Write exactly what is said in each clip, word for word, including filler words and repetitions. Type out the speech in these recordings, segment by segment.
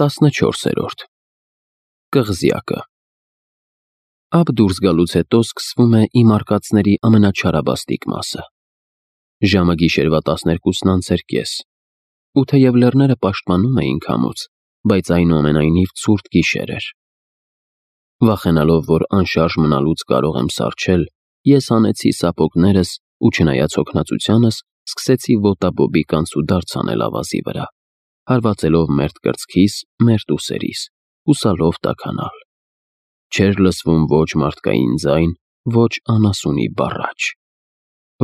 տասնչորսերորդ Կղզյակը Ափ դուրս գալուց հետո սկսվում է իմ արկածների ամենաչարաբաստիկ մասը։ Ժամը գիշերվա տասներկուսն անց էր կես, ու թեև լեռները պաշտպանում էին քամուց, բայց այնուամենայնիվ ցուրտ գիշեր էր։ Վախենալով, որ անշարժ մնալուց կարող եմ սառչել, ես հանեցի սապոգներս ու չնայած հոգնածությանս, սկսեցի ոտաբոբիկ անցուդարձ անել ավազի վրա, հարվածելով մերթ կրծքիս, մերթ ուսերիս, հուսալով տաքանալ։ Չէր լսվում ոչ մարդկային ձայն, ոչ անասունի բառաչ։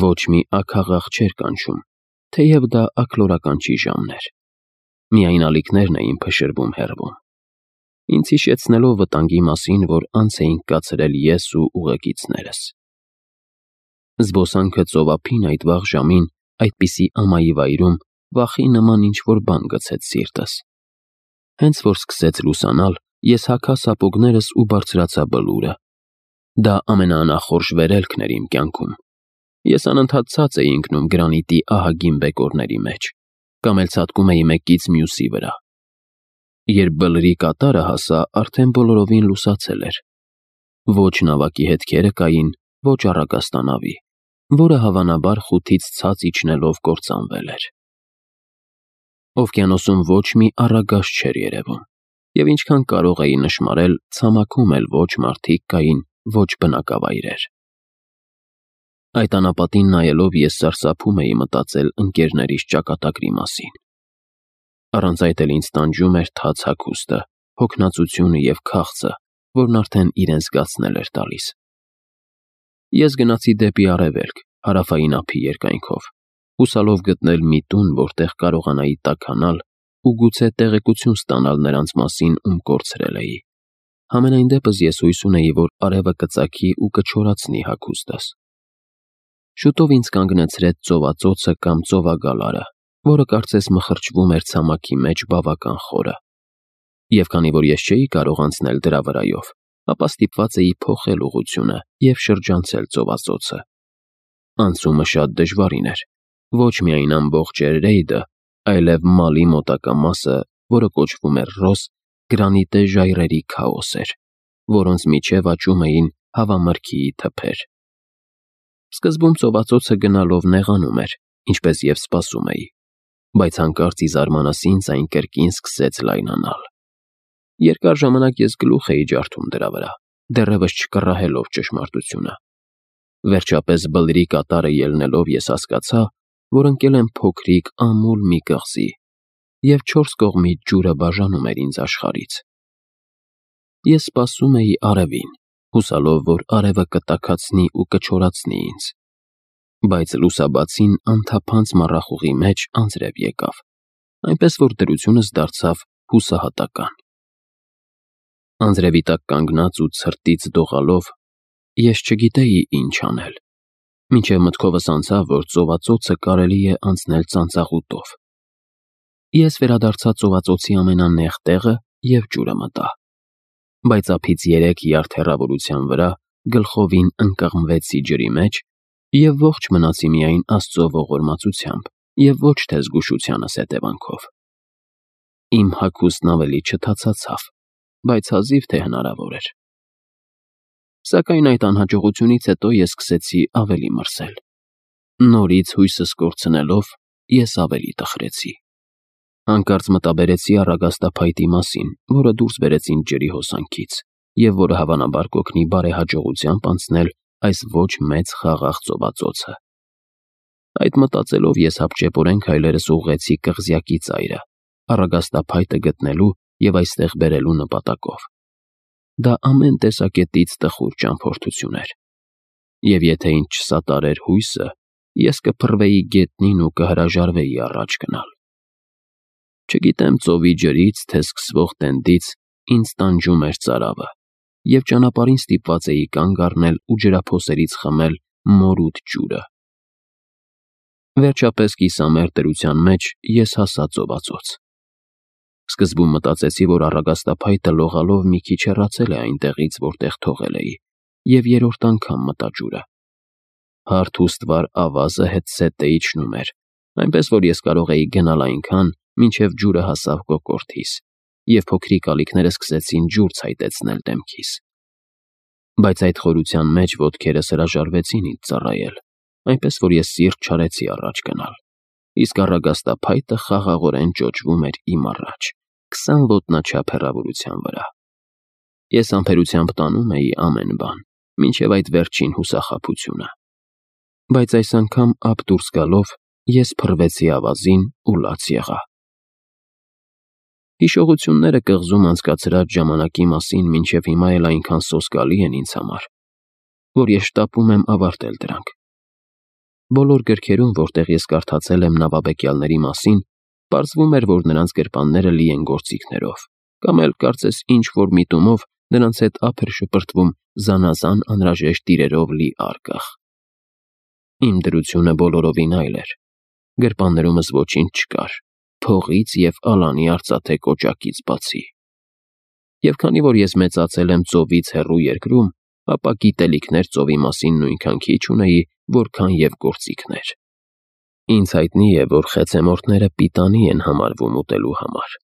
Ոչ մի աքաղաղ չէր կանչում, թեև դա աքլորականչի ժամն էր։ Միայն ալիքներն էին փշրվում հեռվում, ինձ հիշեցնելով վտանգի մասին, որ անց էինք կացրել ես ու ուղեկիցներս։ Զբոսանքը ծովափին այդ վաղ ժամին, այդպիսի ամայի վայրում, վախի նման ինչ-որ բան գցեց սիրտս։ Հենց որ սկսեց լուսանալ, ես հագա սապոգներս ու բարձրացա բլուրը։ Դա ամենաանախորժ վերելքն էր իմ կյանքում։ Ես անընդհատ ցած էի ընկնում գրանիտի ահագին բեկորների մեջ, կամ էլ ցատկում էի մեկից մյուսի վրա։ Երբ բլրի կատարը հասա, արդեն բոլորովին լուսացել էր։ Ոչ նավակի հետքերը կային, ոչ առագաստանավի, որը հավանաբար խութից ցած իջնելով կործանվել էր։ Օվկիանոսում ոչ մի առագաստ չէր երևում, և ինչքան կարող էի նշմարել, ցամաքում էլ ոչ մարդիկ կային, ոչ բնակավայրեր։ Այդ անապատին նայելով ես սարսափում էի մտածել ընկերներիս ճակատագրի մասին։ Առանց այդ էլ ինձ տանջում էր թաց հագուստը, հոգնածությունը և քաղցը, որն արդեն իրեն զգացնել էր տալիս։ Ես գնացի դեպի արևելք, հարավային ափի երկայնքով, հուսալով գտնել մի տուն, որտեղ կարողանայի տաքանալ ու գուցե տեղեկություն ստանալ նրանց մասին, ում կորցրել էի։ Համենայն դեպս ես հույս ունեի, որ արևը կծագի ու կչորացնի հագուստս։ Շուտով ինձ կանգնեցրեց ծովածոցը կամ ծովագալարը, որը կարծես մխրճվում էր ցամաքի մեջ բավական խորը։ Եվ քանի որ ես չէի կարող անցնել դրա վրայով, ապա ստիպված էի փոխել ուղղությունը և շրջանցել ծովածոցը։ Անցումը շատ դժվարին էր, ոչ միայն ամբողջ Էրեյդը, այլև Մալի մոտակա մասը, որը կոչվում էր Ռոս, գրանիտե ժայռերի քաոս էր, որոնց միջև աճում էին հավամրգիի թփեր։ Սկզբում ծովածոցը գնալով նեղանում էր, ինչպես և սպասում էի, բայց հանկարծ ի զարմանս ինձ այն կրկին սկսեց լայնանալ։ Երկար ժամանակ ես գլուխ էի ջարդում դրա վրա, դեռևս չկռահելով ճշմարտությունը։ Վերջապես բլրի կատարը ելնելով ես հասկացա, որ ընկել եմ փոքրիկ ամուլ մի կղզի, և չորս կողմից ջուրը բաժանում էր ինձ աշխարհից։ Ես սպասում էի արևին, հուսալով, որ արևը կտաքացնի ու կչորացնի ինձ։ Բայց լուսաբացին անթափանց մառախուղի մեջ անձրև եկավ, այնպես որ դրությունս դարձավ հուսահատական։ Անձրևի տակ կանգնած ու ցրտից դողալով, ես չգիտեի ինչ անել, մինչև մտքովս անցավ, որ ծովածոցը կարելի է անցնել ծանծաղուտով։ Ես վերադարձա ծովածոցի ամենանեղ տեղը և ջուրը մտա, բայց ափից երեք յարդ հեռավորության վրա գլխովին ընկղմվեցի ջրի մեջ և ողջ մնացի միայն Աստծո ողորմածությամբ և ոչ թե զգուշությանս հետևանքով։ Իմ հագուստն ավելի չթացացավ, բայց հազիվ թե հնարավոր էր։ Սակայն այդ անհաջողությունից հետո ես սկսեցի ավելի մրսել։ Նորից հույսս կորցնելով, ես ավելի տխրեցի։ Հանկարծ մտաբերեցի առագաստափայտի մասին, որը դուրս բերեց ինձ ջրի հոսանքից, և որը հավանաբար կօգնի բարեհաջողությամբ անցնել այս ոչ մեծ խաղաղ ծովածոցը։ Այդ մտածելով ես հապճեպորեն քայլերս ուղղեցի կղզյակի ծայրը, առագաստափայտը գտնելու և այստեղ բերելու նպատակով։ Դա ամեն տեսակետից տխուր ճամփորդություն էր, և եթե ինձ չսատարեր հույսը, ես կփռվեի գետնին ու կհրաժարվեի առաջ գնալ։ Չգիտեմ ծովի ջրից, թե սկսվող տենդից ինձ տանջում էր ծարավը, և ճանապարհին ստիպված էի կանգ առնել ու ջրափոսերից խմել մորուդ ջուրը։ Վերջապես կիսամերկ դրության մեջ ես հասա ծովածոց։ Սկզբում մտածեցի, որ առագաստափայտը լողալով մի քիչ հեռացել է այնտեղից, որտեղ թողել էի, և երրորդ անգամ մտա ջուրը։ Հարթ ու ստվար ավազը հետզհետե իջնում էր, այնպես որ ես կարող էի գնալ այնքան, մինչև ջուրը հասավ կոկորդիս, և փոքրիկ ալիքները սկսեցին ջուր ցայտեցնել դեմքիս։ Բայց այդ խորության մեջ ոտքերս հրաժարվեցին ինձ ծառայել, այնպես որ ես սիրտ չարեցի առաջ գնալ, իսկ առագաստափայտը խաղաղորեն ճոճվում էր իմ առաջ, քսան ոտնաչափ հեռավորության վրա։ Ես համբերությամբ տանում էի ամեն բան, մինչև այդ վերջին հուսախաբությունը։ Բայց այս անգամ ափ դուրս գալով ես փռվեցի ավազին ու լաց եղա։ Հիշողությունները կղզում անցկացրած ժամանակի մասին մինչև հիմա էլ այնքան սոսկալի են ինձ համար, որ ես շտապում եմ ավարտել դրանք։ Բոլոր գրքերում, որտեղ ես կարդացել եմ նավաբեկյալների մասին, պարզվում էր, որ նրանց գրպանները լի են գործիքներով, կամ էլ կարծես ինչ-որ միտումով նրանց հետ ափ էր շպրտվում զանազան անհրաժեշտ իրերով լի արկղ։ Իմ դրությունը բոլորովին այլ էր։ Գրպաններումս ոչինչ չկար, փողից և ալանի արծաթե կոճակից բացի։ Եվ քանի որ ես մեծացել եմ ծովից հեռու երկրում, ապա գիտելիքներ ծովի մասին նույնքան քիչ ունեի, որքան և գործիքներ։ Ինձ հայտնի է, որ խեցեմորտները պիտանի են համարվում ուտելու համար,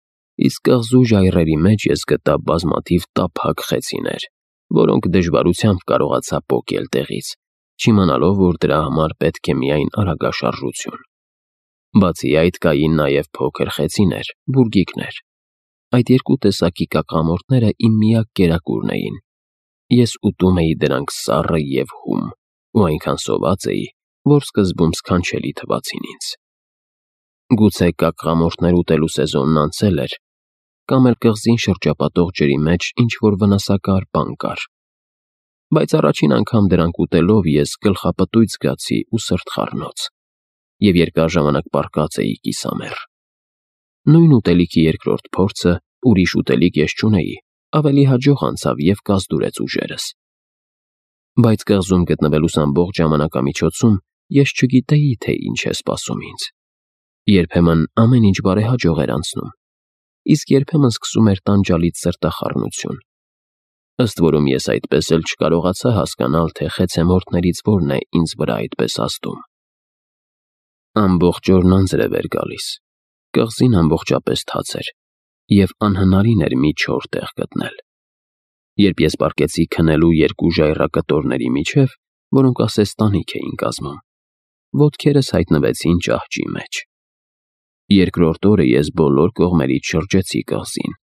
իսկ կղզու ժայռերի մեջ ես գտա բազմաթիվ տափակ խեցիներ, որոնք դժվարությամբ կարողացա պոկել տեղից, չիմանալով, որ դրա համար պետք է միայն արագաշարժություն։ Բացի այդ կային նաև փոքր խեցիներ, բուրգիկներ։ Այդ երկու տեսակի կակամորտները իմ միակ կերակուրն էին։ Ես ուտում էի դրանք սառը և հում, ու այնքան սոված էի, որ սկզբում սքանչելի թվացին ինձ։ Գուցե կակամորտներ ուտելու սեզոնն անցել էր, կամ էլ կղզին շրջապատող ջրի մեջ ինչ-որ վնասակար բան կար։ Բայց առաջին անգամ դրանք ուտելով ես գլխապտույտ զգացի ու սրտխառնոց, և երկար ժամանակ պառկած էի կիսամեռ։ Նույն ուտելիքի երկրորդ փորձը, ուրիշ ուտելիք ես չունեի, ավելի հաջող անցավ և կազդուրեց ուժերս։ Բայց կղզում գտնվելուս ամբողջ ժամանակամիջոցում ես չգիտեի, թե ինչ է սպասում ինձ։ Երբեմն ամեն ինչ բարեհաջող էր անցնում, իսկ երբեմն սկսում էր տանջալից սրտախառնություն։ Ըստ որում ես այդպես էլ չկարողացա հասկանալ, թե խեցեմորտներից որն է ինձ վրա այդպես ազդում։ Ամբողջ օրն անձրև էր գալիս, կղզին ամբողջապես թաց էր, և անհնարին էր մի չոր տեղ գտնել։ Երբ ես պառկեցի քնելու երկու ժայռակտորների միջև, որոնք ասես տանիք էին կազմում, ոտքերս հայտնվեցին ճահճի մեջ։ Երկրորդ օրը ես բոլոր կողմերից շրջեցի կղզին,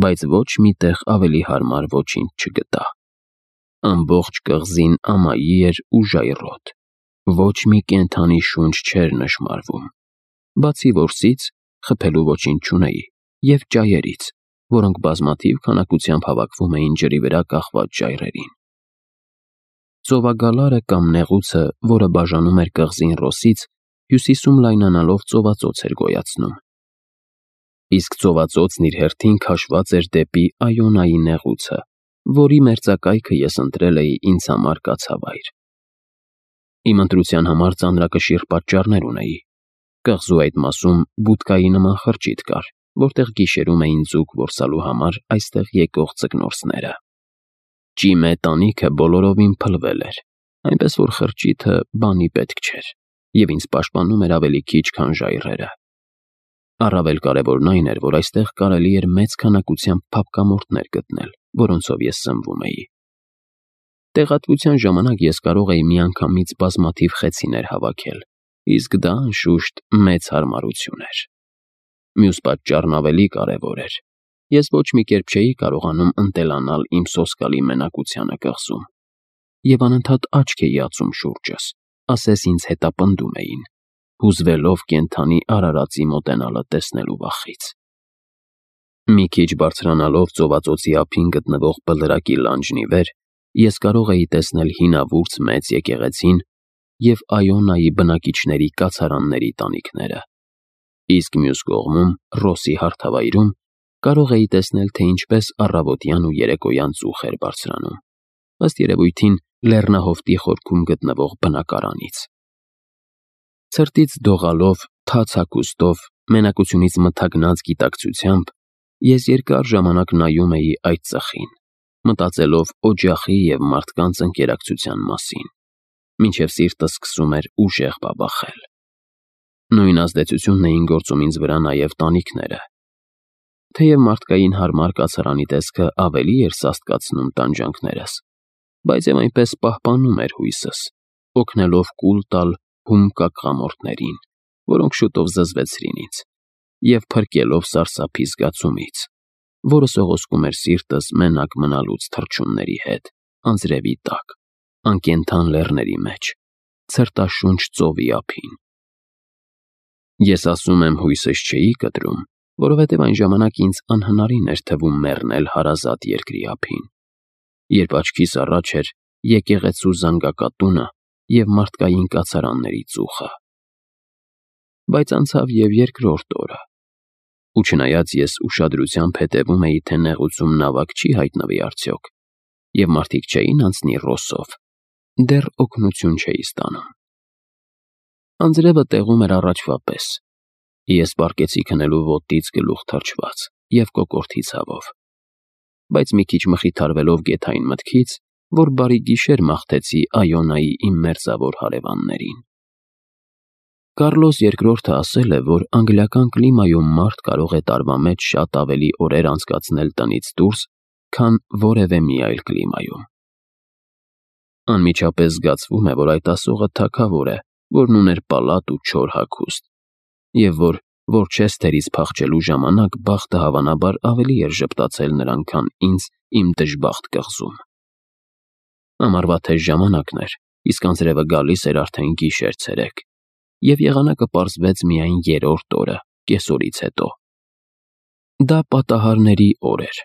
բայց ոչ մի տեղ ավելի հարմար ոչինչ չգտա։ Ամբողջ կղզին ամայի էր ու ժայռոտ, ոչ մի կենդանի շունչ չէր նշմարվում, բացի որսից, խփելու ոչինչ չունեի, և ճայերից, որոնք բազմաթիվ քանակությամբ հավաքվում էին ջրի վրա կախված ժայռերին։ Ծովագալարը կամ նեղուցը, որը բաժանում էր կղզին Ռոսից, հյուսիսում լայնանալով ծովածոց էր գոյացնում։ Իսկ ծովածոցն իր հերթին քաշված էր դեպի Այոնայի նեղուցը, որի մերձակայքը ես ընտրել էի ինձ համար կացավայր։ Իմ ընտրության համար ծանրակշիռ պատճառներ ունեի։ Կղզու այդ մասում բուդկայի նման խրճիթ կար, որտեղ գիշերում էին ձուկ որսալու համար այստեղ եկող ձկնորսները։ Ճիմե տանիքը բոլորովին փլվել էր, այնպես որ խրճիթը բանի պետք չէր, և ինձ պաշտպանում էր ավելի քիչ, քան ժայռերը։ Առավել կարևորն այն էր, որ այստեղ կարելի էր մեծ քանակությամբ փափկամորտներ գտնել, որոնցով ես սնվում էի։ Տեղատվության ժամանակ ես կարող էի միանգամից բազմաթիվ խեցիներ հավաքել, իսկ դա, անշուշտ, մեծ հարմարություն էր։ Մյուս պատճառն ավելի կարևոր էր։ Ես ոչ մի կերպ չէի կարողանում ընտելանալ իմ սոսկալի մենակությանը կղզում, և անընդհատ աչք էի ածում շուրջս, ասես ինձ հետապնդում էին, հուզվելով կենդանի արարածի մոտենալը տեսնելու վախից։ Մի քիչ բարձրանալով ծովածոցի ափին գտնվող բլրակի լանջն ի վեր, ես կարող էի տեսնել հինավուրց մեծ եկեղեցին և Այոնայի բնակիչների կացարանների տանիքները, իսկ մյուս կողմում, Ռոսի հարթավայրում, կարող էի տեսնել, թե ինչպես առավոտյան ու երեկոյան ծուխ էր բարձրանում, ըստ երևույթին լեռնահովտի խորքում գտնվող բնակարանից։ Ցրտից դողալով, թաց հագուստով, մենակությունից մթագնած գիտակցությամբ, ես երկար ժամանակ նայում էի այդ ծխին, մտածելով օջախի և մարդկանց ընկերակցության մասին, մինչև սիրտս սկսում էր ուժեղ բաբախել։ Նույն ազդեցությունն էին գործում ինձ վրա նաև տանիքները։ Թեև մարդկային հարմար կացարանի տեսքը ավելի էր սաստկացնում տանջանքներս, բայց և այնպես պահպանում էր հույսս, օգնելով կուլ տալ հում կակղամորթներին, որոնք շուտով զզվեցրին ինձ, և փրկելով սարսափի զգացումից, որը սողոսկում էր սիրտս մենակ մնալուց թռչունների հետ, անձրևի տակ, անկենդան լեռների մեջ, ցրտաշունչ ծովի ափին։ Ես ասում եմ հույսս չէի կտրում, որովհետև այն ժամանակ ինձ անհնարին էր թվում մեռնել հարազատ երկրի ափին, երբ աչքիս առաջ էր եկեղեցու զանգակատունը և մարդկային կացարանների ծուխը։ Բայց անցավ և երկրորդ օրը, ու չնայած ես ուշադրությամբ հետևում էի, թե նեղուցում նավակ չի հայտնվի արդյոք, և մարդիկ չէին անցնի Ռոսով, դեռ օգնություն չէի ստանում։ Անձրևը տեղում էր առաջվա պես, ես պառկեցի քնելու ոտքից գլուխ թրջված և կոկորդի ցավով, բայց մի քիչ մխիթարվելով գեթային մտքից, որ բարի գիշեր մաղթեցի Այոնայի իմ մերձավոր հարևաններին։ Կառլոս երկրորդը ասել է, որ անգլիական կլիմայում մարդ կարող է տարվա մեջ շատ ավելի օրեր անցկացնել տնից դուրս, քան որևէ մի այլ կլիմայում։ Անմիջապես զգացվում է, որ այդ ասողը թագավոր է, որն ուներ պալատ ու չոր հագուստ, և որ Որչեսթերից փախչելու ժամանակ բախտը հավանաբար ավելի էր ժպտացել նրան, քան ինձ իմ դժբախտ կղզում։ Ամառվա թեժ ժամանակն էր, իսկ անձրևը գալիս էր արդեն գիշեր֊ցերեկ, և եղանակը պարզվեց միայն երրորդ օրը, կեսօրից հետո։ Դա պատահարների օր էր,